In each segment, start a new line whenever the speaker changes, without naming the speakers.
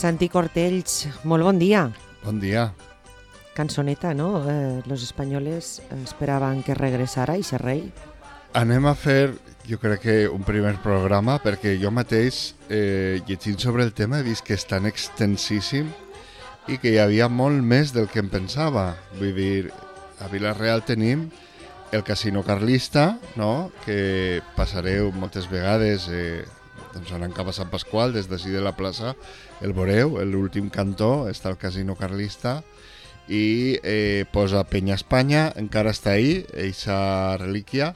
Santi Cortells, molt bon dia.
Bon dia.
Cançoneta, ¿no? Los españoles esperaban que regresara ese rei.
Anem a fer, jo crec que un primer programa, perquè jo mateix, llegint sobre el tema, he vist que és tan extensíssim i que hi havia molt més del que em pensava. Vull dir, a Vila-real tenim el Casino Carlista, no?, que passareu moltes vegades doncs anant cap a Sant Pasqual, des d'ací de la plaça, el veureu, l'últim cantó està el Casino Carlista, i posa Penya Espanya, encara està ahí, eixa relíquia.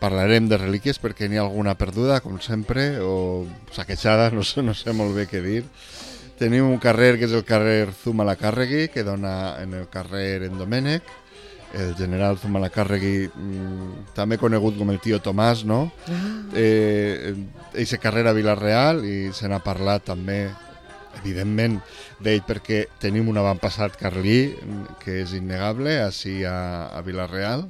Parlarem de relíquies perquè n'hi ha alguna perduda, com sempre, o saquejada, no sé molt bé què dir. Tenim un carrer que és el carrer Zumalacárregui, que dona en el carrer en Domènec, el general Zumalacárregui, també conegut com el tio Tomàs, no? Eixe carrer a Vila-real, i se n'ha parlat també, evidentment, d'ell perquè tenim un avantpassat carlí, que és innegable, així a Vila-real.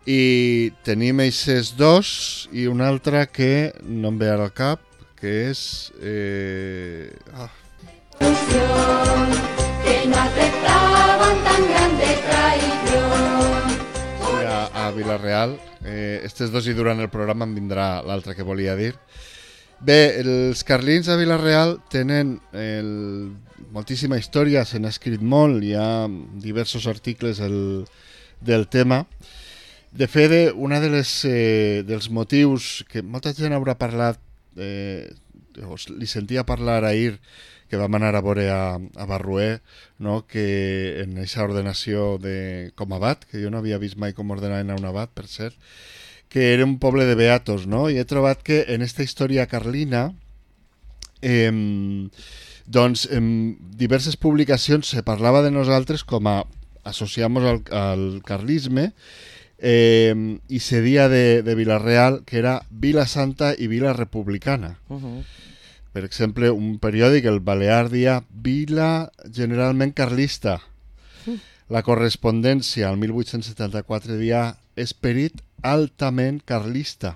I tenim eixes dos i un altre que no em ve ara al cap, que és...
Que no aceptaban tan grande traición.
A Vila-real. Estes dos i durant el programa em vindrà l'altre que volia dir. Bé, els carlins a Vila-real tenen moltíssima història, se n'ha escrit molt, hi ha diversos articles del tema. De fet, una dels motius que molta gent haurà parlat, li sentia parlar ahir, que vam anar a veure a Barruer, no? Que en aquesta ordenació com a abat, que jo no havia vist mai com ordenaven a un abat, per cert, que era un poble de beatos, no? I he trobat que en esta història carlina, doncs en diverses publicacions se parlava de nosaltres com a associamos al carlisme, i se dia de Vila-real que era Vila Santa i Vila Republicana. Per exemple, un periòdic, el Balear, dia Vila generalment carlista. La correspondència al 1874 dia Esperit altament carlista.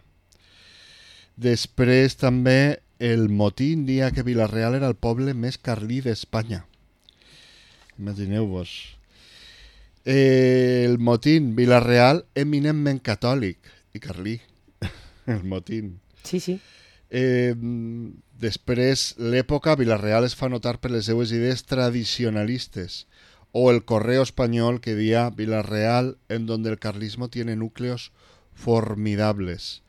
Després també el Motín dia que Vila-real era el poble més carlí d'Espanya. Imagineu-vos. El Motín, Vila-real, eminentment catòlic i carlí. El Motín.
Sí, sí.
Després, l'època, Vila-real es fa notar per les seues idees tradicionalistes, o el Correo Español que dia Vila-real, en donde el carlismo tiene núcleos formidables.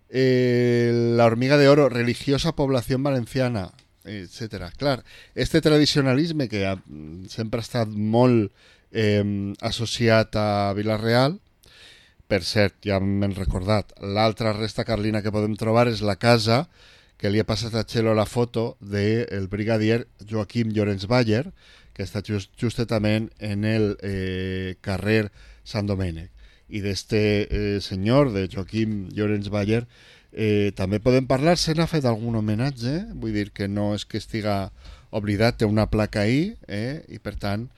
La Hormiga de Oro, religiosa población valenciana, etc. Clar, este tradicionalisme que sempre ha estat molt associat a Vila-real, per cert, ja m'hem recordat, l'altra resta carlina que podem trobar és la casa que li ha passat a Txelo la foto del brigadier Joaquim Llorenç Bayer, que està justament en el carrer Sant Domènec. I d'este senyor, de Joaquim Llorenç Bayer, també podem parlar, se n'ha fet algun homenatge, vull dir que no és que estiga oblidat, té una placa ahí, i per tant,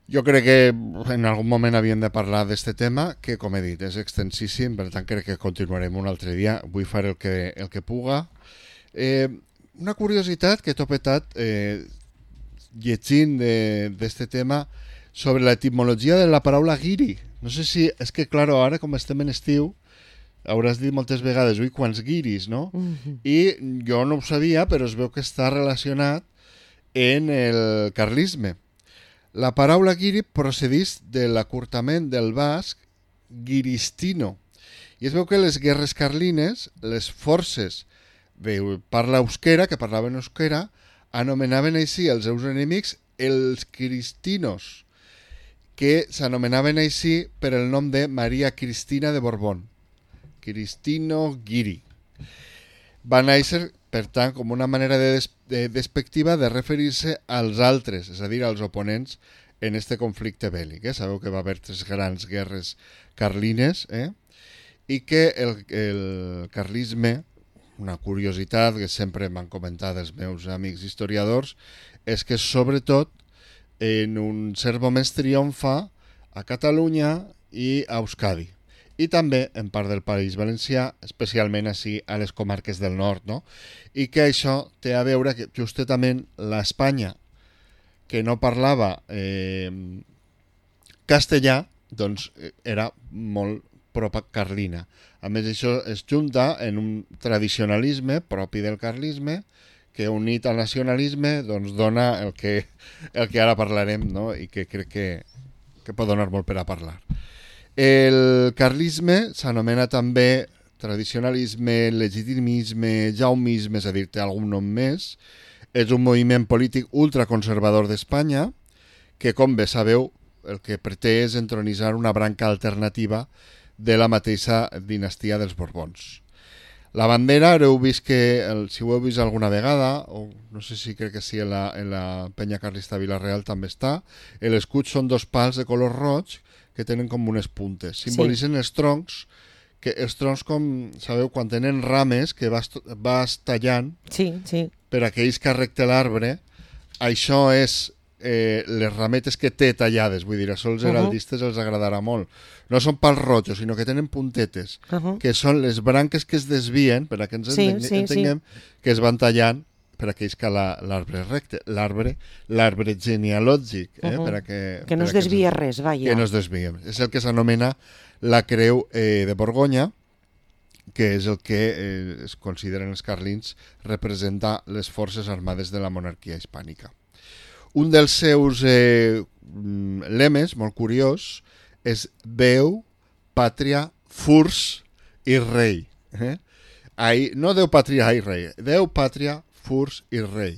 jo crec que en algun moment havíem de parlar d'este tema, que, com he dit, és extensíssim, per tant crec que continuarem un altre dia. Vull fer el que puga. Una curiositat que he topetat llegint d'este tema sobre l'etimologia de la paraula guiri. No sé si... És que, clar, ara com estem en estiu, hauràs dit moltes vegades, ui, quants guiris, no? I jo no ho sabia, però es veu que està relacionat en el carlisme. La paraula guiri procedeix de l'acurtament del basc guiristino. I es veu que les guerres carlines, les forces de parla euskera, que parlaven euskera, anomenaven així els seus enemics els cristinos, que s'anomenaven així per el nom de Maria Cristina de Borbón. Cristino Guiri. Va néixer, per tant, com una manera despectiva de referir-se als altres, és a dir, als oponents en este conflicte bèl·lic. Sabeu que va haver 3 grans guerres carlines, i que el carlisme, una curiositat que sempre m'han comentat els meus amics historiadors, és que sobretot en un cert moment triomfa a Catalunya i a Euskadi. i també en part del País Valencià, especialment així a les comarques del nord, no? I que això té a veure que justament l'Espanya que no parlava castellà, doncs era molt pro-carlina. A més, això es junta en un tradicionalisme propi del carlisme que unit al nacionalisme doncs dona el que ara parlarem, no? I que crec que pot donar molt per a parlar. El carlisme s'anomena també tradicionalisme, legitimisme, jaumisme, és a dir, té algun nom més. És un moviment polític ultraconservador d'Espanya que, com bé sabeu, el que pretén és entronitzar una branca alternativa de la mateixa dinastia dels Borbons. La bandera, heu vist que, si ho heu vist alguna vegada, o no sé si crec que sí, en la penya carlista Vila-real també està, l'escut són dos pals de color roig que tenen com unes puntes. Simbolitzen els troncs, que els troncs, com sabeu, quan tenen rames que vas tallant per aquells que arrecta l'arbre, això és les rametes que té tallades, vull dir, això els heraldistes els agradarà molt. No són pals rojos, sinó que tenen puntetes, que són les branques que es desvien, per a que ens entenguem, que es van tallant per aquells que l'arbre és recte, l'arbre genealògic, per a
que no es desvia res, vaja.
Que no es desvia. És el que s'anomena la creu de Borgonya, que és el que es consideren els carlins representa les forces armades de la monarquia hispànica. Un dels seus lemes, molt curiós, és Déu, Pàtria, Furs i Rei. No Déu, Pàtria i Rei, Déu, Pàtria, Furs i Rei.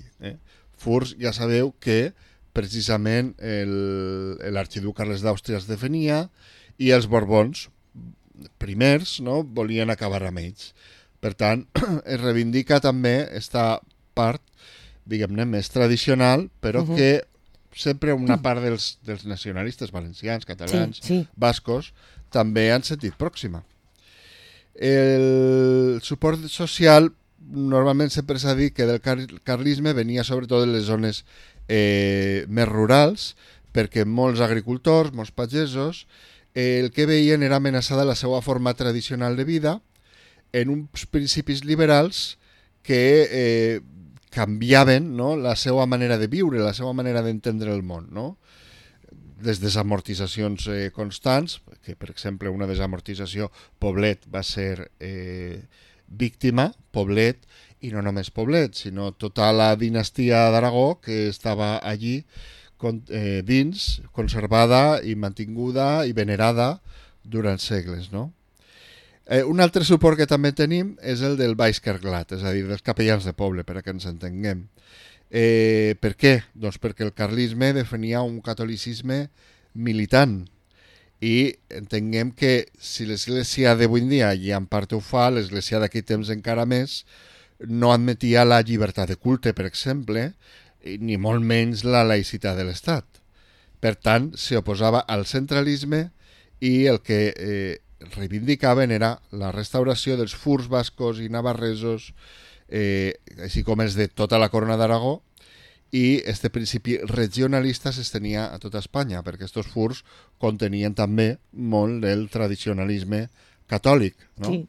Furs, ja sabeu que precisament l'arxiduc Carles d'Àustria es defenia i els Borbons primers, no, volien acabar amb ells. Per tant, es reivindica també esta part, diguem-ne, més tradicional, però que sempre una part dels nacionalistes valencians, catalans, bascos, també han sentit pròxima. El suport social normalment sempre s'ha dit que del carlisme venia sobretot de les zones més rurals, perquè molts agricultors, molts pagesos, el que veien era amenaçada la seva forma tradicional de vida en uns principis liberals que canviaven, no, la seva manera de viure, la seva manera d'entendre el món, no? Les desamortitzacions constants, que per exemple una desamortització, Poblet va ser víctima, Poblet, i no només Poblet, sinó tota la dinastia d'Aragó que estava allí dins, conservada i mantinguda i venerada durant segles, no? Un altre suport que també tenim és el del Baix Carglat, és a dir, dels capellans de poble, per a que ens entenguem. Per què? Doncs perquè el carlisme defenia un catolicisme militant i entenguem que si l'església d'avui en dia, i en part ho fa, l'església d'aquell temps encara més, no admetia la llibertat de culte, per exemple, ni molt menys la laïcitat de l'Estat. Per tant, s'oposava al centralisme i el que reivindicaven era la restauració dels furs bascos i navarresos, així com els de tota la corona d'Aragó, i este principi regionalista s'estenia a tota Espanya, perquè aquests furs contenien també molt del tradicionalisme catòlic, no? Sí.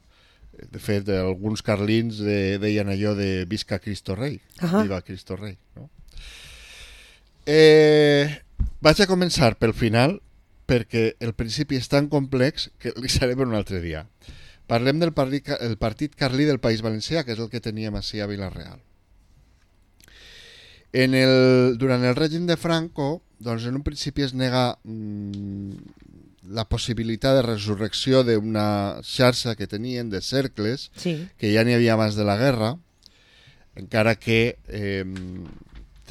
De fet, alguns carlins deien allò de visca Cristo Rei, viva Cristo Rei, no? Vaig a començar pel final, perquè el principi és tan complex que li seré per un altre dia. Parlem del partit carlí del País Valencià, que és el que teníem així a Vila-real. Durant el règim de Franco, doncs en un principi es nega la possibilitat de resurrecció d'una xarxa que tenien de cercles, que ja n'hi havia abans de la guerra, encara que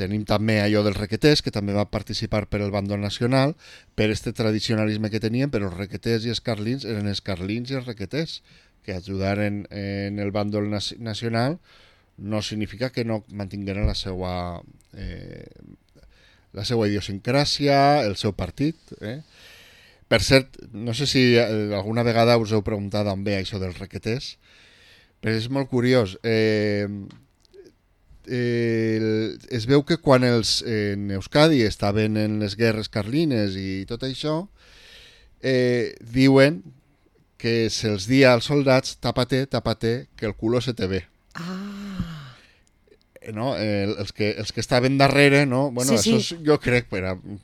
tenim també allò dels requeters, que també va participar per el bàndol nacional, per este tradicionalisme que tenien, però els requeters i els carlins eren els carlins i els requeters, que ajudaren en el bàndol nacional no significa que no mantingueren la seva idiosincràsia, el seu partit. Per cert, no sé si alguna vegada us heu preguntat d'on ve això dels requeters, però és molt curiós. Es veu que quan en Euskadi estaven en les guerres carlines i tot això, diuen que se'ls dia als soldats tápate, tápate, que el culo se te ve. No? Els que estaven darrere, no? Bueno,
Sí,
això jo crec,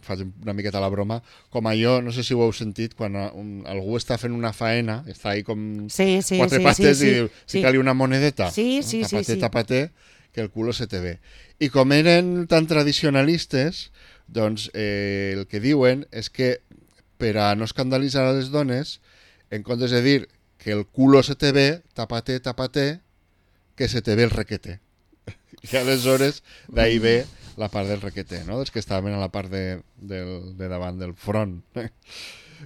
faig una miqueta la broma, com allò, no sé si ho heu sentit, quan algú està fent una faena, està ahí com quatre pates i diu, fica-li una monedeta.
Sí.
Tápate, que el culo se te ve. I com eren tan tradicionalistes, doncs el que diuen és que per a no escandalitzar a les dones, en comptes de dir que el culo se te ve, tápate, tápate, que se te ve el requete. I aleshores d'ahí ve la part del requeté, no? Dels que estaven a la part de davant del front.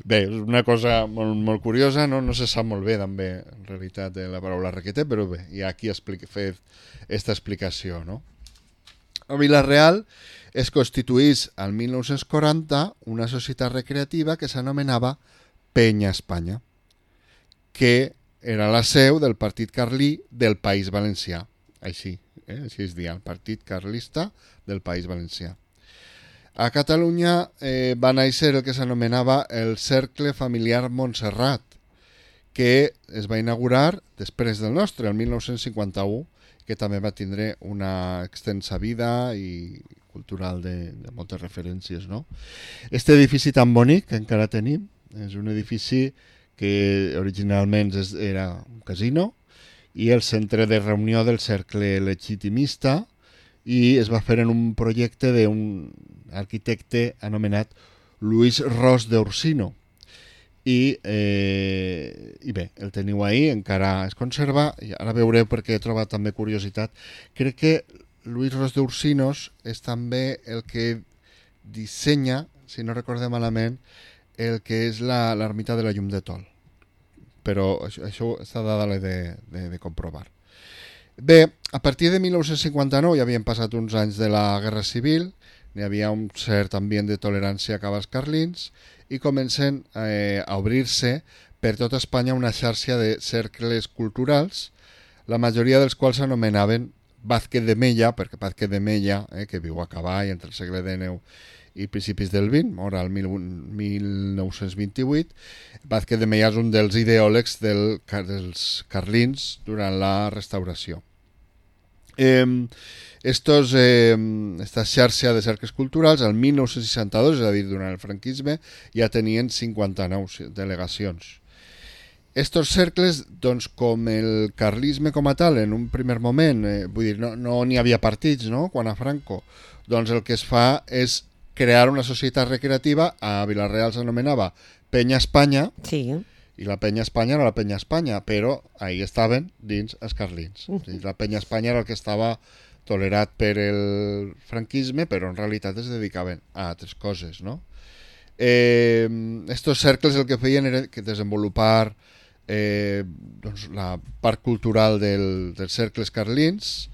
Bé, és una cosa molt, molt curiosa, no? No se sap molt bé també en realitat de la paraula requeté, però bé, i aquí fet aquesta explicació, no? A Vila-real es constituís al 1940 una societat recreativa que s'anomenava Penya Espanya, que era la seu del partit carlí del País Valencià. Així es deia, el Partit Carlista del País Valencià. A Catalunya va néixer el que s'anomenava el Cercle Familiar Montserrat, que es va inaugurar després del nostre, el 1951, que també va tindre una extensa vida i cultural de moltes referències, no? Este edifici tan bonic que encara tenim és un edifici que originalment era un casino i el centre de reunió del cercle legitimista, i es va fer en un projecte d'un arquitecte anomenat Luis Ros d'Ursino. I bé, el teniu ahí, encara es conserva, i ara veureu perquè he trobat també curiositat. Crec que Luis Ros d'Ursinos és també el que dissenya, si no recordem malament, el que és l'ermita de la Llum de Tol. Però això està dada de comprovar. Bé, a partir de 1959 ja havien passat uns anys de la Guerra Civil, n'hi havia un cert ambient de tolerància cap als carlins i comencen a obrir-se per tota Espanya una xarxa de cercles culturals, la majoria dels quals s'anomenaven Vázquez de Mella, perquè Vázquez de Mella, que viu a cavall entre el segle XIX i principis del XX, mor al 1928, Vázquez de Mella és un dels ideòlegs dels carlins durant la restauració. Esta xarxa de cercles culturals, el 1962, és a dir, durant el franquisme, ja tenien 59 delegacions. Estos cercles, doncs, com el carlisme com a tal, en un primer moment, vull dir, no n'hi havia partits, no?, quan a Franco, doncs el que es fa és crear una societat recreativa. A Vila-real s'anomenava Penya Espanya,
Sí.
i la Penya Espanya era la Penya Espanya, però ahí estaven dins els carlins. O sigui, la Penya Espanya era el que estava tolerat per el franquisme, però en realitat es dedicaven a altres coses, no? Estos cercles el que feien era desenvolupar doncs, la part cultural dels cercles carlins,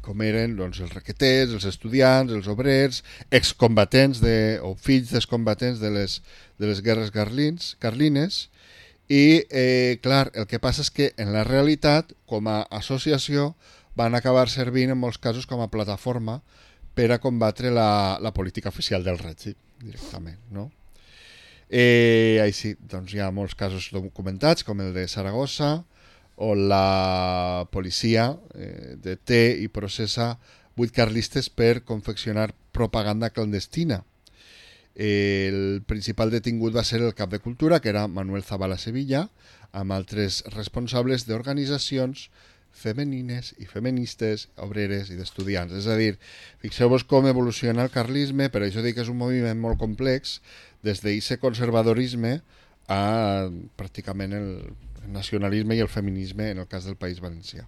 com eren doncs, els requeters, els estudiants, els obrers, excombatents o fills d'excombatents de les guerres carlines. I, clar, el que passa és que en la realitat, com a associació, van acabar servint en molts casos com a plataforma per a combatre la política oficial del règim, directament, no? Així, doncs hi ha molts casos documentats, com el de Saragossa, on la policia deté i processa 8 carlistes per confeccionar propaganda clandestina. El principal detingut va ser el cap de cultura, que era Manuel Zavala Sevilla, amb altres responsables d'organitzacions femenines i feministes, obreres i d'estudiants. És a dir, fixeu-vos com evoluciona el carlisme, per això dic que és un moviment molt complex, des d'aquest conservadorisme a pràcticament el nacionalisme i el feminisme en el cas del País Valencià.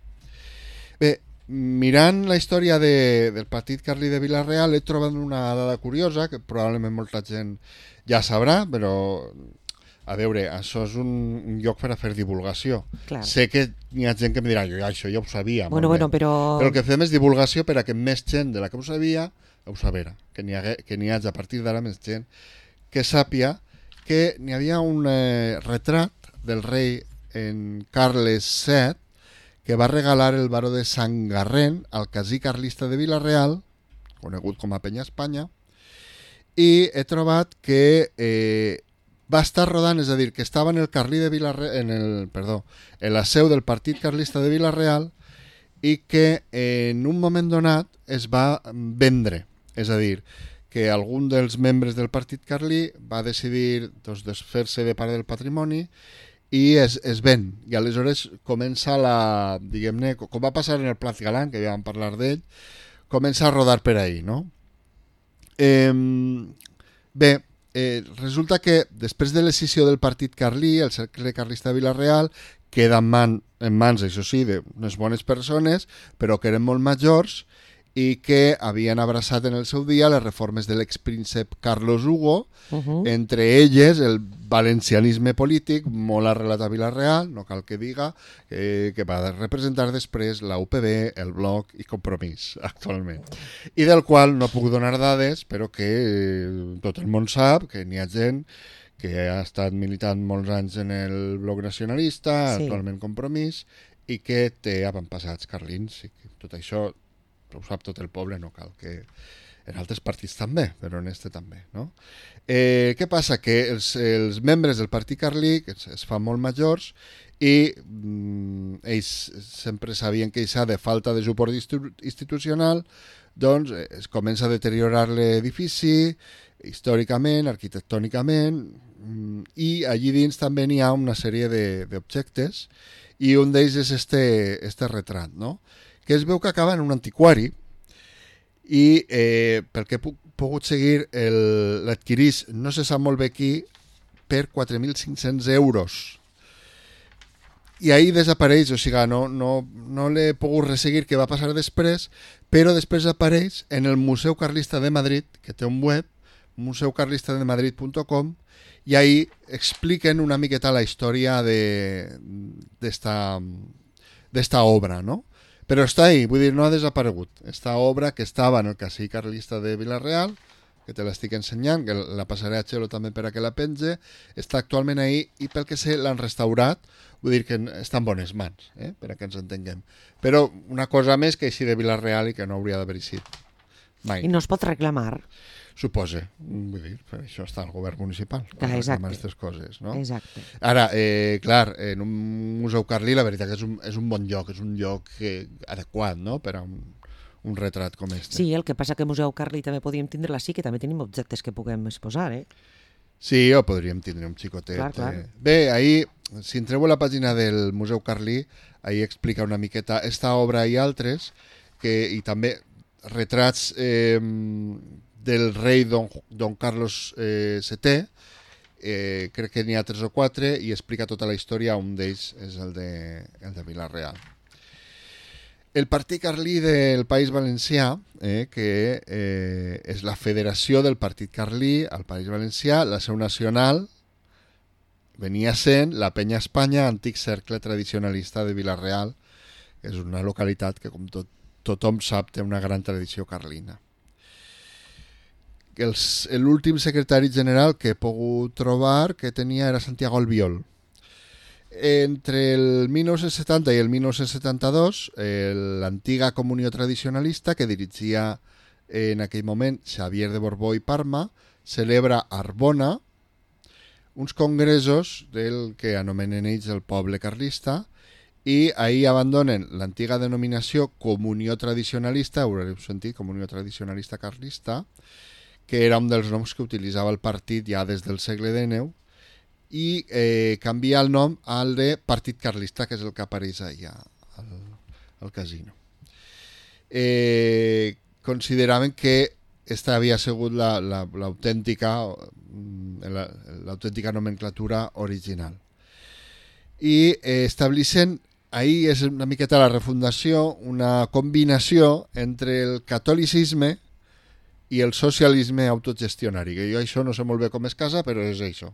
Bé, mirant la història del partit carlí de Vila-real he trobat una dada curiosa que probablement molta gent ja sabrà, però a veure, això és un lloc per a fer divulgació.
Clar.
Sé que hi ha gent que em dirà, jo això ja ho sabia.
Bueno, però
el que fem és divulgació per a que més gent de la que ho sabia ho sabera, que n'hi hagi a partir d'ara més gent que sàpia que n'hi havia un retrat del rei en Carles VII que va regalar el baró de Sant Garren al casí carlista de Vila-real, conegut com a Penya Espanya, i he trobat que va estar rodant, és a dir, que estava en el Carlí de en la seu del Partit Carlista de Vila-real i que en un moment donat es va vendre. És a dir, que algun dels membres del Partit Carlí va decidir desfer-se de part del patrimoni i es ven. I aleshores comença diguem-ne, com va passar en el Plat Galán, que ja vam parlar d'ell, comença a rodar per ahí, no? Resulta que després de l'escissió del Partit Carlí, el cercle carlista de Vila-real queda en mans, això sí, d'unes bones persones, però que eren molt majors i que havien abraçat en el seu dia les reformes de l'expríncep Carlos Hugo, entre elles el valencianisme polític, molt arrelat a Vila-real, no cal que diga, que va representar després la UPB, el Bloc i Compromís, actualment. I del qual no puc donar dades, però que tot el món sap que n'hi ha gent que ha estat militant molts anys en el Bloc Nacionalista, actualment Compromís, i que té avantpassats carlins. I que tot això ho sap tot el poble, no cal que... En altres partits també, però en este també, no? Què passa? Que els membres del Partit Carlí es fan molt majors i ells sempre sabien que això de falta de suport institucional, doncs es comença a deteriorar l'edifici històricament, arquitectònicament, i allí dins també n'hi ha una sèrie d'objectes i un d'ells és este retrat, no? Que es veu que acaba en un antiquari i pel que he pogut seguir l'adquirís, no se sap molt bé qui, per 4.500 euros. I ahir desapareix, o sigui, no l'he pogut resseguir què va passar després, però després apareix en el Museu Carlista de Madrid, que té un web, museucarlistademadrid.com, i ahir expliquen una miqueta la història d'esta obra, no? Però està ahí, vull dir, no ha desaparegut. Esta obra que estava en el Casí Carlista de Vila-real, que te l'estic ensenyant, que la passaré a Xelo també per a que la penge, està actualment ahí i pel que sé l'han restaurat, vull dir que està en bones mans, per a que ens entenguem. Però una cosa més que així de Vila-real i que no hauria d'haver eixit mai.
I no es pot reclamar.
Suposa, vull dir, per això està el govern municipal,
exacte.
aquestes coses, no?
Exacte.
Ara, clar, en un museu carlí la veritat que és un bon lloc, és un lloc adequat, no?, per a un retrat com este.
Sí, el que passa que Museu Carlí també podíem tindre-la, sí que també tenim objectes que puguem exposar,
Sí, o podríem tindre un xicotet.
Clar.
Bé, ahir, si entreu a la pàgina del Museu Carlí, ahir explica una miqueta esta obra i altres, i també retrats del rei Don Carlos VII, crec que n'hi ha 3 o 4, i explica tota la història, un d'ells és el de Vila-real. El Partit Carlí del País Valencià, que és la federació del Partit Carlí al País Valencià, la seu nacional venia sent la Penya Espanya, antic cercle tradicionalista de Vila-real, que és una localitat que, com tothom sap, té una gran tradició carlina. L'últim secretari general que he pogut trobar que tenia era Santiago Albiol. Entre el 1970 i el 1972, l'antiga Comunió Tradicionalista, que dirigia en aquell moment Xavier de Borbó i Parma, celebra a Arbona uns congressos del que anomenen ells el poble carlista, i ahir abandonen l'antiga denominació Comunió Tradicionalista, haureu sentit, Comunió Tradicionalista Carlista, que era un dels noms que utilitzava el partit ja des del segle XIX, i canvia el nom al de Partit Carlista, que és el que apareix allà al casino. Consideraven que esta havia sigut l'autèntica nomenclatura original. I establixen, ahir és una miqueta la refundació, una combinació entre el catolicisme i el socialisme autogestionari, que jo això no sé molt bé com es casa, però és això.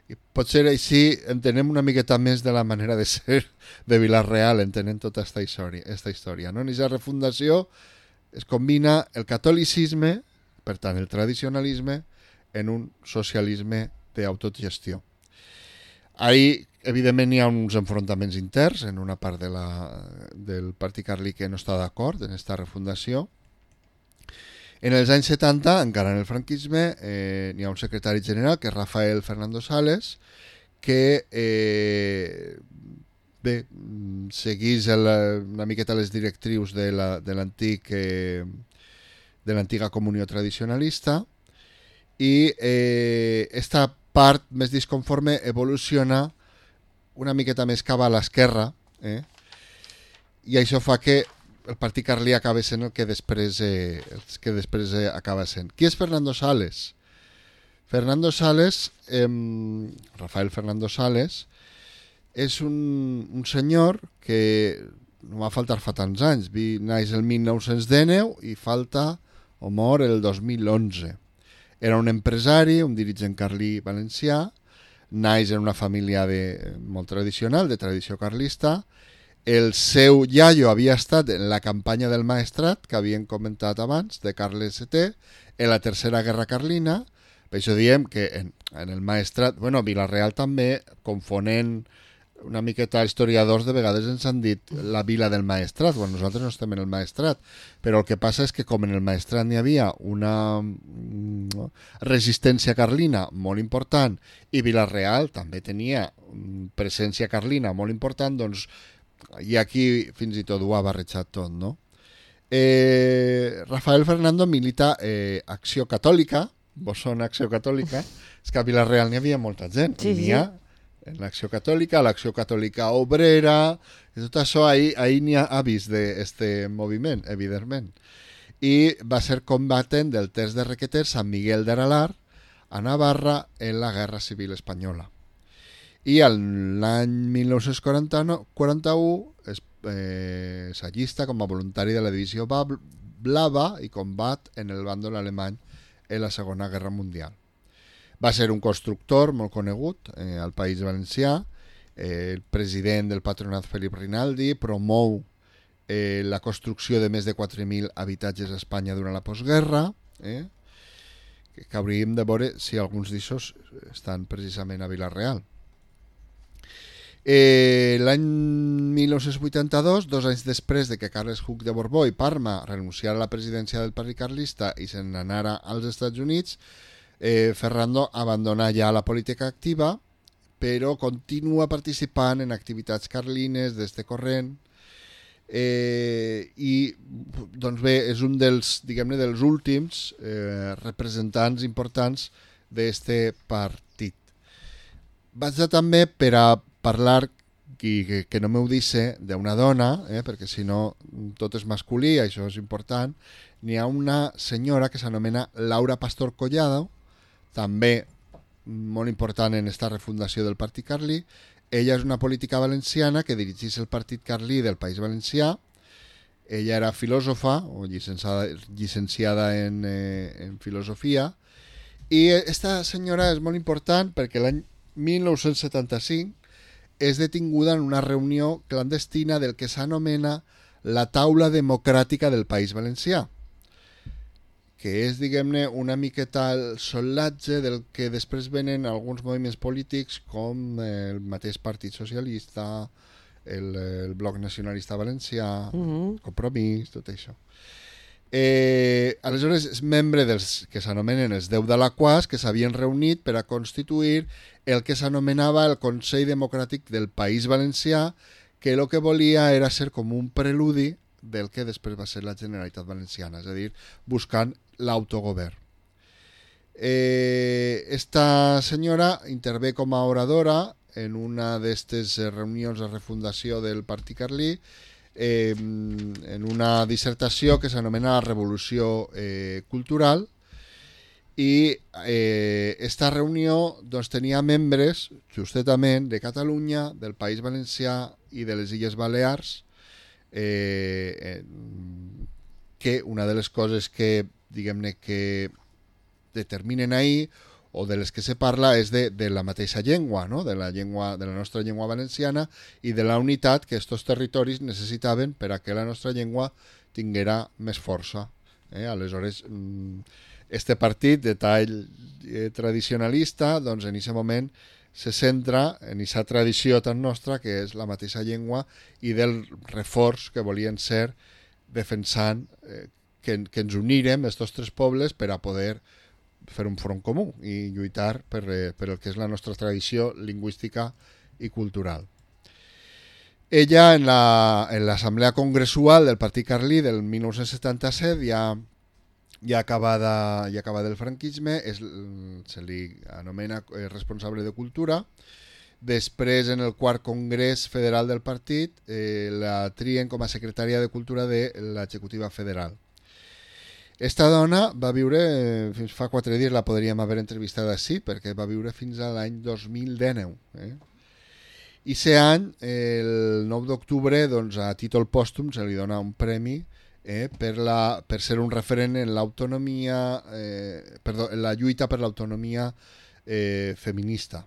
I potser així entenem una miqueta més de la manera de ser de Vila-real, entenem tota esta història. No? En aquesta refundació es combina el catolicisme, per tant el tradicionalisme, en un socialisme d'autogestió. Ahir, evidentment, hi ha uns enfrontaments interns en una part del Partit Carlí que no està d'acord en aquesta refundació, En els anys 70, encara en el franquisme, n'hi ha un secretari general, que és Rafael Fernando Sales, que seguís una miqueta les directrius de l'antiga comunió tradicionalista, i esta part més disconforme evoluciona una miqueta més cap a l'esquerra, i això fa que el partit carlí acaba sent el que després acaba sent. Qui és Fernando Sales? Fernando Sales, Rafael Fernando Sales, és un senyor que no va faltar fa tants anys. Naix el 1919 i falta o mor el 2011. Era un empresari, un dirigent carlí valencià, naix en una família molt tradicional, de tradició carlista. El seu iaio havia estat en la campanya del Maestrat, que havien comentat abans, de Carles VII, en la Tercera Guerra Carlina. Per això diem que en el Maestrat, Vila-real també, confonent una miqueta historiadors, de vegades ens han dit la vila del Maestrat, nosaltres no estem en el Maestrat, però el que passa és que com en el Maestrat n'hi havia una resistència carlina molt important i Vila-real també tenia presència carlina molt important, doncs i aquí fins i tot ho ha barrejat tot, no? Rafael Fernando milita Acció Catòlica, vos sona Acció Catòlica? És que a Vila-real n'hi havia molta gent, n'hi ha en l'Acció Catòlica, l'Acció Catòlica Obrera, i tot això ahir n'hi ha avis d'aquest moviment, evidentment. I va ser combatent del Terç de Requeter, Sant Miguel d'Aralar, a Navarra, en la Guerra Civil Espanyola. I l'any 1941 s'allista com a voluntari de la divisió Blava i combat en el bàndol alemany en la Segona Guerra Mundial. Va ser un constructor molt conegut al País Valencià, el president del patronat Felip Rinaldi, promou la construcció de més de 4.000 habitatges a Espanya durant la postguerra, que hauríem de veure si alguns d'aixòs estan precisament a Vila-real. L'any 1982, 2 anys després de que Carles Hug de Borbó i Parma renunciara a la presidència del Partit Carlista i se n'anara als Estats Units, Ferrando abandona ja la política activa, però continua participant en activitats carlines d'este corrent, i doncs bé, és un dels últims representants importants d'este partit. Vaig també per a parlar, que no m'ho dice, d'una dona, perquè si no tot és masculí, això és important. N'hi ha una senyora que s'anomena Laura Pastor Collado, també molt important en esta refundació del Partit Carlí. Ella és una política valenciana que dirigeix el Partit Carlí del País Valencià. Ella era filòsofa o llicenciada en filosofia, i esta senyora és molt important perquè l'any 1975 és detinguda en una reunió clandestina del que s'anomena la Taula Democràtica del País Valencià, que és, diguem-ne, una miqueta el sollatge del que després venen alguns moviments polítics com el mateix Partit Socialista, el Bloc Nacionalista Valencià, Compromís, tot això. Aleshores és membre dels que s'anomenen els 10 d'Alaquàs, que s'havien reunit per a constituir el que s'anomenava el Consell Democràtic del País Valencià, que el que volia era ser com un preludi del que després va ser la Generalitat Valenciana, és a dir, buscant l'autogovern. Esta senyora intervé com a oradora en una d'aquestes reunions de refundació del Partit Carlí, en una dissertació que s'anomena la Revolució Cultural, i esta reunió doncs, tenia membres justament de Catalunya, del País Valencià i de les Illes Balears, que una de les coses que, diguem-ne, que determinen ahir, o de les que se parla, és de la mateixa llengua, no? de la nostra llengua valenciana, i de la unitat que aquests territoris necessitaven per a que la nostra llengua tinguera més força. Aleshores, este partit de tall tradicionalista, doncs en aquest moment se centra en aquesta tradició tan nostra que és la mateixa llengua i del reforç que volien ser defensant que ens unírem, estos tres pobles, per a poder fer un front comú i lluitar per el que és la nostra tradició lingüística i cultural. Ella, en l'assemblea congressual del Partit Carlí del 1977, ja acabada el franquisme, se li anomena responsable de cultura. Després, en el quart congrés federal del partit, la trien com a secretària de cultura de l'executiva federal. Esta dona va viure, fins fa 4 dies la podríem haver entrevistat així, perquè va viure fins a l'any 2019. I aquest any, el 9 d'octubre, doncs, a títol pòstum, se li dona un premi per ser un referent en l'autonomia, en la lluita per l'autonomia feminista.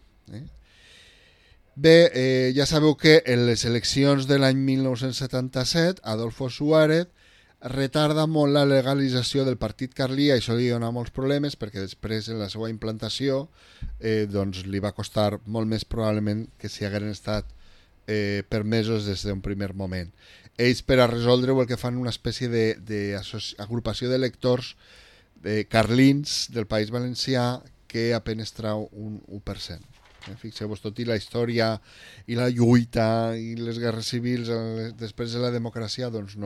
Bé, ja sabeu que en les eleccions de l'any 1977, Adolfo Suárez retarda molt la legalització del Partit Carlí, això li dona molts problemes perquè després en la seva implantació doncs li va costar molt més probablement que si hagueren estat permesos des d'un primer moment. Ells, per a resoldre-ho, el que fan una espècie d'agrupació d'electors carlins del País Valencià que apenas trau un 1%. Fixeu-vos, tot i la història i la lluita i les guerres civils després de la democràcia doncs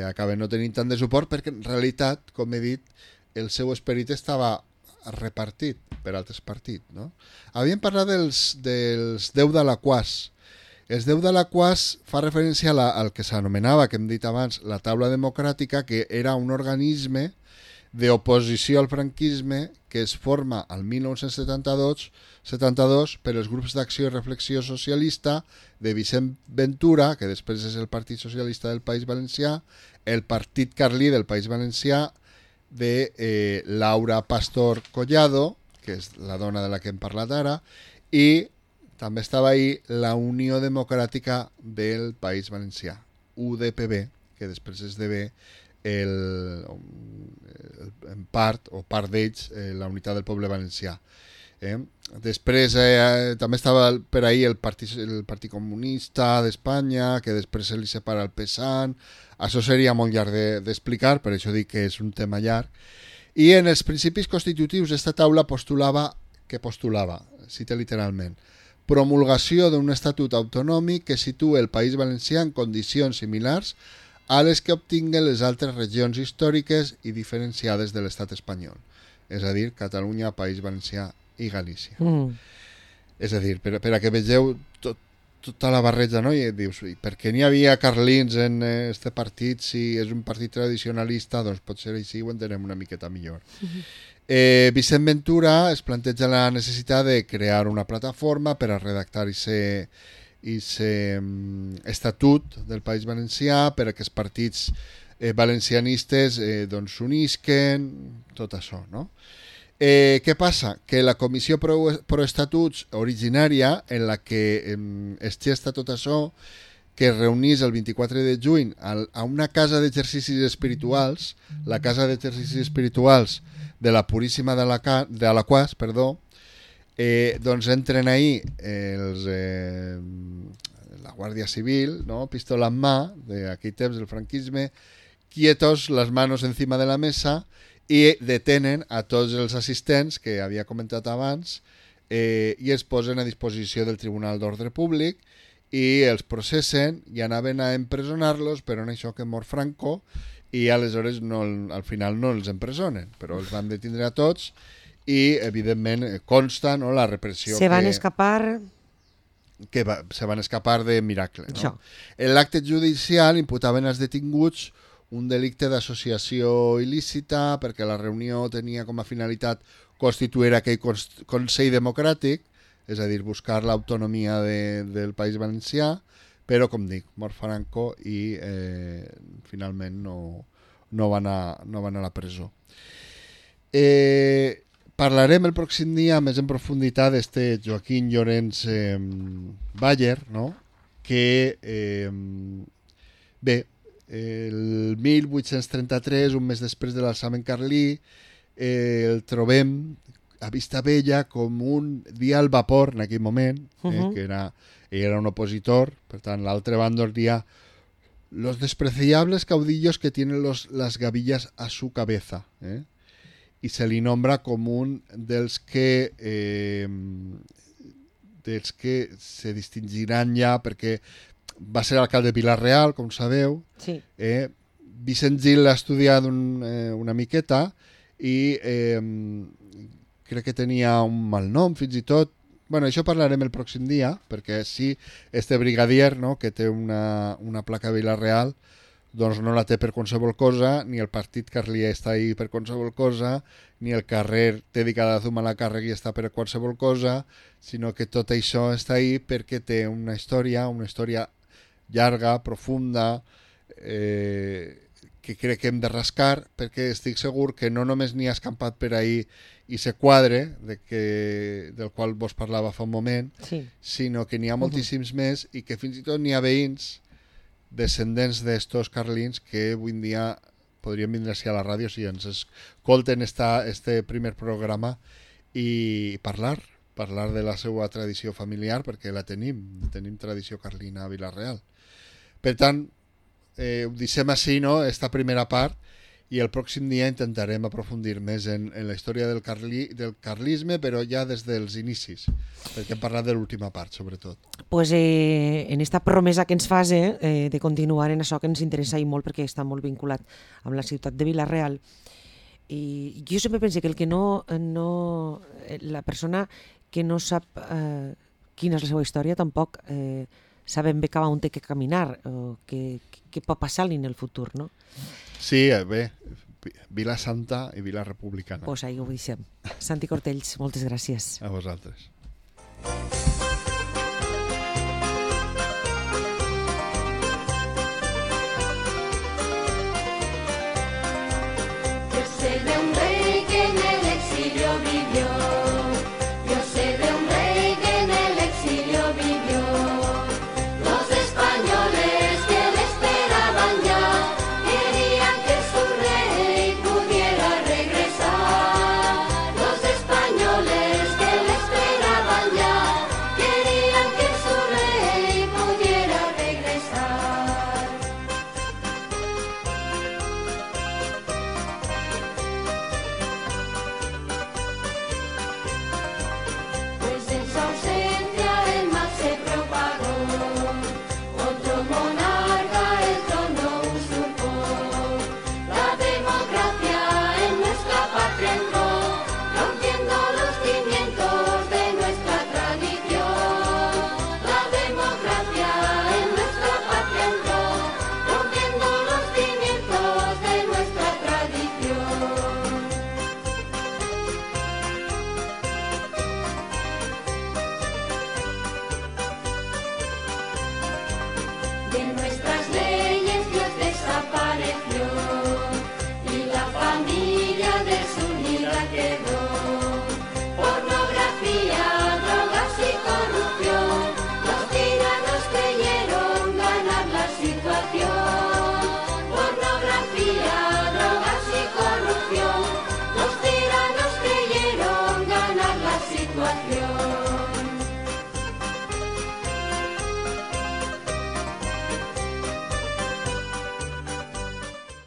acaben no tenint tant de suport perquè en realitat, com he dit, el seu esperit estava repartit per altres partits. No? Havíem parlat dels 10 d'Alaquàs. Els 10 d'Alaquàs fa referència al que s'anomenava, que hem dit abans, la taula democràtica, que era un organisme d'oposició al franquisme que es forma al 1972 per els grups d'acció i reflexió socialista de Vicent Ventura, que després és el Partit Socialista del País Valencià, el Partit Carlí del País Valencià, de Laura Pastor Collado, que és la dona de la que hem parlat ara, i també estava ahí la Unió Democràtica del País Valencià, UDPB, que després esdevé en part d'ells la Unitat del Poble Valencià. Després també estava per ahí el Partit Comunista d'Espanya, que després se li separa el PSAN. Això seria molt llarg d'explicar, per això dic que és un tema llarg. I en els principis constitutius d'esta taula postulava, cita literalment, promulgació d'un estatut autonòmic que situa el País Valencià en condicions similars a les que obtinguen les altres regions històriques i diferenciades de l'estat espanyol, és a dir, Catalunya, País Valencià i Galícia. És a dir, per a que vegeu tota la barreja, no? I dius, per què n'hi havia carlins en este partit si és un partit tradicionalista? Doncs potser així ho entenem una miqueta millor. Vicent Ventura es planteja la necessitat de crear una plataforma per a redactar aquest estatut del País Valencià per a que els partits valencianistes s'unisquen, tot això, no? Què passa? Que la Comissió Proestatuts originària, en la que es gesta tot això, que es reunís el 24 de juny a una casa d'exercicis espirituals, la casa d'exercicis espirituals de la Puríssima d'Alaquàs, doncs entren ahí la Guàrdia Civil, no? Pistola en mà, d'aquell temps del franquisme, quietos, les manos encima de la mesa, i detenen a tots els assistents que havia comentat abans i els posen a disposició del Tribunal d'Ordre Públic i els processen i anaven a empresonar-los, però en això que mor Franco i aleshores al final no els empresonen, però els van detindre a tots i evidentment consta, no, la repressió
se van escapar
de miracle, no? En l'acte judicial imputaven als detinguts un delicte d'associació il·lícita perquè la reunió tenia com a finalitat constituir aquell Consell Democràtic, és a dir, buscar l'autonomia del País Valencià, però, com dic, mor Franco i finalment no van a la presó. Parlarem el pròxim dia més en profunditat d'este Joaquín Llorens Bayer, no? Que, bé, el 1833, un mes després de l'alçament carlí, el trobem a Vistabella com un dia al vapor en aquell moment, que era un opositor, per tant l'altre bàndol dia los despreciables caudillos que tienen las gavillas a su cabeza, y se li nombra com un dels que se distingiran ja perquè va ser alcalde de Vila-real, com sabeu.
Sí.
Vicent Gil l'ha estudiat una miqueta i crec que tenia un mal nom, fins i tot. Bueno, això parlarem el pròxim dia, perquè sí, este brigadier, no?, que té una placa a Vila-real, doncs no la té per qualsevol cosa, ni el partit carlí està ahí per qualsevol cosa, ni el carrer dedicat a Zumalacárregui està per qualsevol cosa, sinó que tot això està ahí perquè té una història llarga, profunda, que crec que hem de rascar, perquè estic segur que no només n'hi ha escampat per ahí i se quadre, del qual vos parlava fa un moment,
Sí.
sinó que n'hi ha moltíssims més i que fins i tot n'hi ha veïns descendents d'estos carlins que avui en dia podrien vindre-s'hi a la ràdio si ens escolten este primer programa i parlar de la seva tradició familiar, perquè la tenim tradició carlina a Vila-real. Per tant, ho deixem així, no?, esta primera part, i el pròxim dia intentarem aprofundir més en la història del carlisme, però ja des dels inicis, perquè hem parlat de l'última part, sobretot.
Pues en esta promesa que ens fas de continuar en això que ens interessa i molt, perquè està molt vinculat amb la ciutat de Vila-real. I jo sempre penso que el que la persona que no sap quina és la seva història tampoc sabem bé cap on té que caminar o què pot passar-li en el futur, no?
Sí, bé, Vila Santa i Vila Republicana.
Pues ahí ho deixem. Santi Cortells, moltes gràcies.
A vosaltres.
Que se de un rey que en el exilio vivió.